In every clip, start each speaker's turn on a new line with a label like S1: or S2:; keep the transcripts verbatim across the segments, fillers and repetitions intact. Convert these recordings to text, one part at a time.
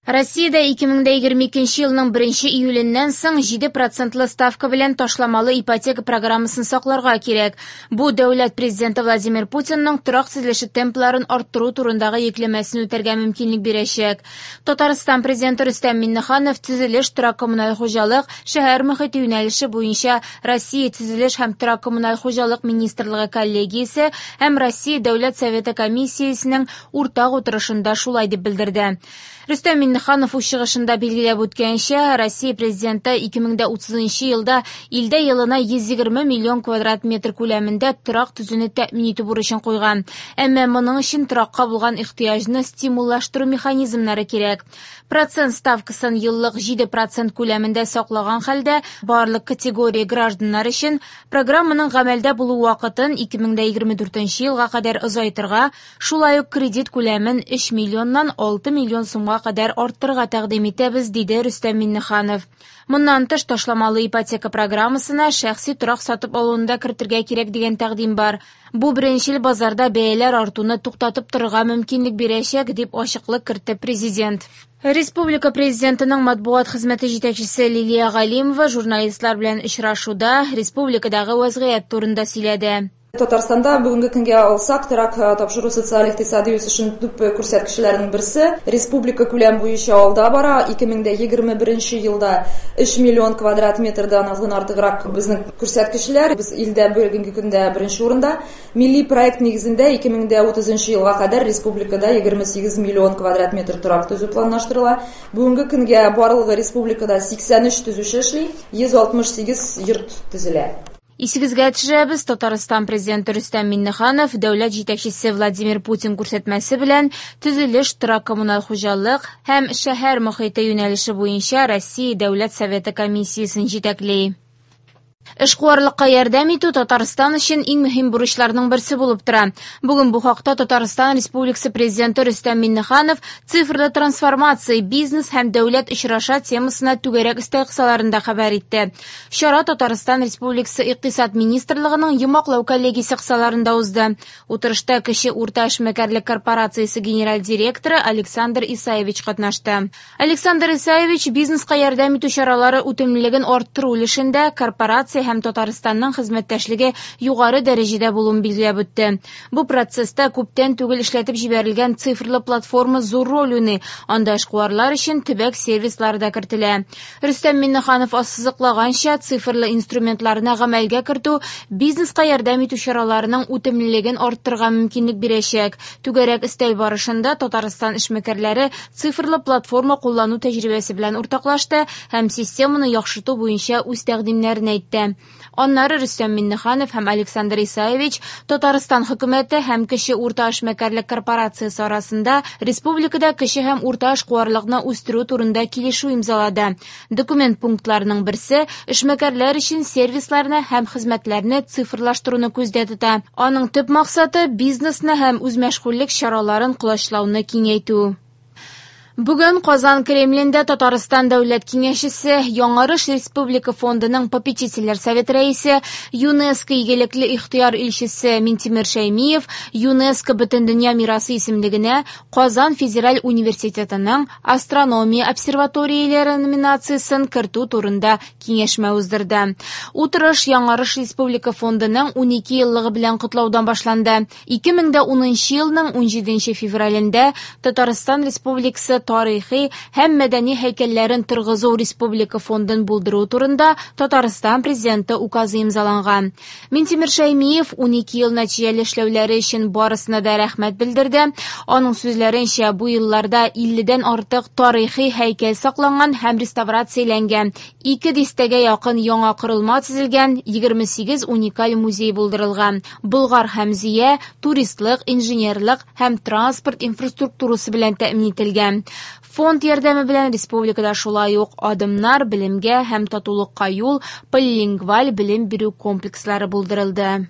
S1: Россиядә ике мең дә егерме икенче елның беренче июленнән соң җиде процентлы ставка белән ташламалы ипотека программасын сакларга кирәк. Бу дәүләт президенты Владимир Путинның торак төзелеше темпларын арттыру турындагы йөкләмәсен үтәргә мөмкинлек бирәчәк. Татарстан президенты Рөстәм Миңнеханов төзелеш, торак коммуналь хуҗалык, шәһәр мөхите юнәлеше буенча Россия төзелеш һәм торак коммуналь хуҗалык министрлыгы коллегиясе һәм Россия Дәүләт Советы комиссиясенең уртак утырышында шулай дип белдерде. Рөстәм Миңнеханов үз чыгышында билгеләп үткәнчә, Россия президенты ике мең дә утызынчы елда илдә елына йөз егерме миллион квадрат метр күләмендә торак төзүне тәэмин итү бурычын куйган. Әмма моның өчен торакка булган ихтыяҗны стимуллаштыру механизмнары кирәк. Процент ставкасын еллык җиде процент күләмендә саклаган хәлдә барлык категория гражданнар өчен программаның гамәлдә булу вакытын ике мең дә егерме дүртенче елга кадәр озайтырга, шулай ук кредит күләмен өч миллионнан алты миллион сумга кадәр арттырырга тәкъдим итәбез, диде Рөстәм Миңнеханов. Моннан тыш ташламалы ипотека программасына шәхси торак сатып алуны да кертергә кирәк дигән тәкъдим бар. Бу беренчел базарда бәяләр артуны туктатып торырга мөмкинлек бирәчәк, дип ачыклык кертте президент. Республика президентының матбугат хезмәте җитәкчесе Лилия Галимова журналистлар белән очрашуда республикадагы вазгыять турында сөйләде.
S2: Татарстанда бүгенге көнгә алсак, торак тапшыру социаль икътисади үсешенең төп күрсәткечләренең берсе. Республика күләм буенча алда бара. Ике мең дә егерме беренче елда өч миллион квадрат метрдан аздан артыграк безнең күрсәткечләр. Без илдә бүгенге көндә беренче урында. Милли проект нигезендә ике мең дә утызынчы елга кадәр республикада егерме сигез миллион квадрат метр торак төзү планлаштырыла. Бүгенге көнгә барлыгы республикада сиксән өч төзүче эшли, йөз алтмыш сигез йорт төзелә.
S1: Исегезгә төшерәбез, Татарстан президенты Рөстәм Миңнеханов дәүләт җитәкчесе Владимир Путин күрсәтмәсе белән төзелеш, торак коммуналь хуҗалык һәм шәһәр мөхите юнәлеше буенча Россия Дәүләт Советы комиссиясен җитәкли. Эшкуарлыкка ярдәм итү Татарстан өчен иң мөһим бурычларның берсе булып тора. Бүген бу хакта Татарстан Республикасы президенты Рөстәм Миңнеханов цифрлы трансформация, бизнес һәм дәүләт очраша темасына түгәрәк өстәл кысаларында хәбәр итте. Чара Татарстан Республикасы Икътисад министрлыгының йомгаклау коллегиясе кысаларында узды. Утырышта Кече урта эшмәкәрлек корпорациясе генераль директоры Александр Исаевич катнашты. Александр Исаевич бизнеска ярдәм итү чаралары үтемлелеген арттыру өлешендә корпорация һәм Татарстанның хезмәттәшлеге югары дәрәҗәдә булуын билгеләп үтте. Бу процесста күптән түгел эшләтеп җибәрелгән цифрлы платформа зур роль уйный. Анда эшкуарлар өчен төбәк сервислары да кертелә. Рөстәм Миңнеханов ассызыклаганча, цифрлы инструментларны гамәлгә кертү бизнеска ярдәм итү чараларының үтемлелеген арттырырга мөмкинлек бирәчәк. Түгәрәк өстәл барышында Татарстан эшмәкәрләре цифрлы платформа куллану тәҗрибәсе белән уртаклашты һәм системаны яхшырту буенча үз тәкъдимнәрен әйтте. Аннары Рөстәм Миңнеханов һәм Александр Исаевич Татарстан хөкүмәте һәм Кече урта эшмәкәрлек корпорациясе арасында республикада кече һәм урта эшкуарлыкны үстерү турында килешү имзалады. Документ пунктларының берсе эшмәкәрләр өчен сервисларны һәм хезмәтләрне цифрлаштыруны күздә тота. Аның төп максаты бизнесны һәм үзмәшгульлек чараларын колачлауны киңәйтү. Бүген Казан Кремлендә Татарстан Дәүләт Киңәшчесе, Яңарыш Республика фондының попечительләр советы рәисе, ЮНЕСКО игелекле ихтыяр илчесе Минтимер Шәймиев ЮНЕСКО Бөтендөнья мирасы исемлегенә Казан Федераль университетының астрономия обсерваторияләре номинациясен кертү турында киңәшмә уздырды. Утырыш Яңарыш Республика фондының унике еллыгы белән котлаудан башланды. Ике мең дә унынчы елның унҗиденче февралендә Татарстан Республикасы тарихи һәм мәдәни һәйкәлләрен торгызу Республика фондын булдыру турында Татарстан президенты указы имзаланган. Минтимер Шәймиев унике ел нәтиҗәле эшләүләре өчен барысына да рәхмәт белдерде. Аның сүзләренчә, бу елларда илледән артык тарихи һәйкәл сакланган һәм реставрацияләнгән, ике дистәгә якын яңа корылма төзелгән, егерме сигез уникаль музей булдырылган. Болгар һәм Зөя туристлык, инженерлык һәм транспорт инфраструктурасы белән тәэмин ителгән. Фонд ярдәме белән республикада шулай ук адымнар белемгә һәм татулыкка юл полилингваль белем бирү комплекслары булдырылды.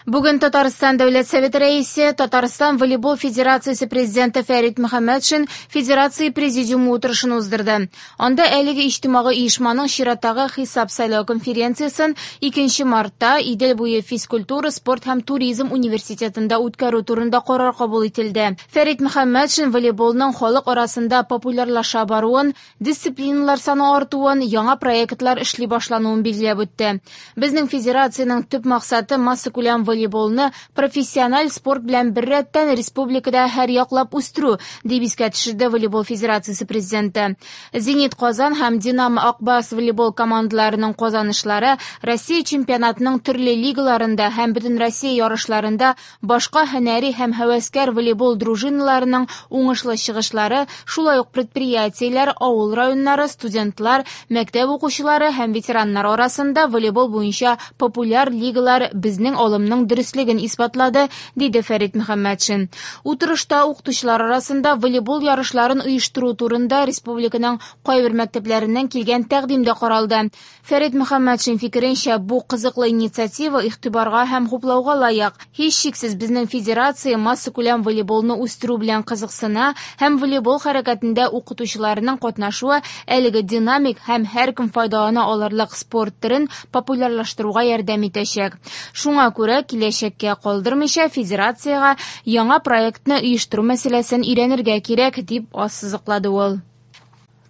S1: Бүген Татарстан Дәүләт Советы рәисе, Татарстан Волейбол Федерациясе президенты Фәрит Мөхәммәтшин Федерация президиумы утырышын уздырды. Анда әлеге иҗтимагый оешманың чираттагы хисап сайлау конференциясен икенче мартта Идел буе физкультура, спорт һәм туризм университетында үткәрү турында карар кабул ителде. Фәрит Мөхәммәтшин волейболның халык арасында популярлаша баруын, дисциплиналар саны артуын, яңа проектлар эшли башлануын билгеләп үтте. Безнең федерациянең төп максаты массакүләм волейболны профессиональ спорт белән беррәттән республикада һәр яклап үстерү, дип искә төшерде Волейбол Федерациясе президенты. Зенит Казан һәм Динамо Акбас волейбол командаларының казанышлары Россия чемпионатының төрле лигаларында һәм бөтен Россия ярышларында башка һөнәри һәм һәвәскәр волейбол дружиналарының уңышлы чыгышлары, шулай ук предприятиеләр, авыл районнары, студентлар, мәктәп укучылары һәм ветераннар арасында волейбол буенча популяр лигалар безнең алымның дөреслеген исбатлады, диде Фәрит Мөхәммәтшин. Утырышта укытучылар арасында волейбол ярышларын оештыру турында республиканың кайбер мәктәпләреннән килгән тәкъдим дә каралды. Фәрит Мөхәммәтшин фикеренчә, бу кызыклы инициатива игътибарга һәм хуплауга лаек. Һичшиксез безнең федерация массакүләм волейболны үстерү белән кызыксына һәм волейбол хәрәкәтендә укытучыларның катнашуы әлеге динамик һәм һәркем файдалана алырлык спорт төрен популярлаштыруга ярдәм итәчәк. Шуңа күрә киләчәккә калдырмыйча федерациягә яңа проектны оештыру мәсьәләсен өйрәнергә кирәк, дип ассызыклады ул.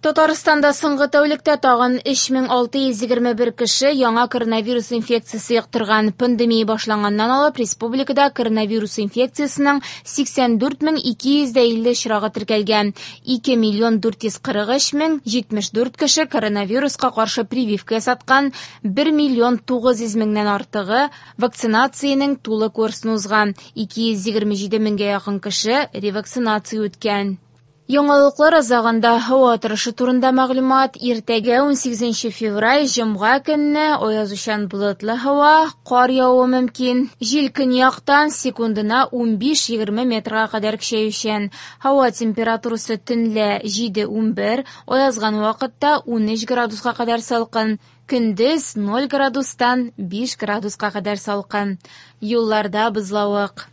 S1: Татарстанда соңгы тәүлектә тагын өч мең алты йөз егерме бер кеше яңа коронавирус инфекциясе йоктырган. Пандемия башланганнан алып республикада коронавирус инфекциясенең сиксән дүрт мең ике йөз илле очрагы теркәлгән. ике миллион дүрт йөз кырык өч мең җитмеш дүрт кеше коронавируска каршы прививка ясаткан, бер миллион тугыз йөз меңнән артыгы вакцинациянең тулы курсын узган, ике йөз егерме җиде меңгә якын кеше ревакцинация үткән. Яңалыклар азагында һава торышы турында мәгълүмат. Иртәгә унсигезенче февраль җомга көнне аязучан болытлы һава, кар явуы мөмкин. Җил көньяктан секундына унбиш-егерме метрга кадәр көчәючән. Һава температурасы төнлә җиде-унбер, аязган вакытта унөч градуска кадәр салкын. Көндез ноль градустан биш градуска кадәр салкын. Юлларда бозлавык.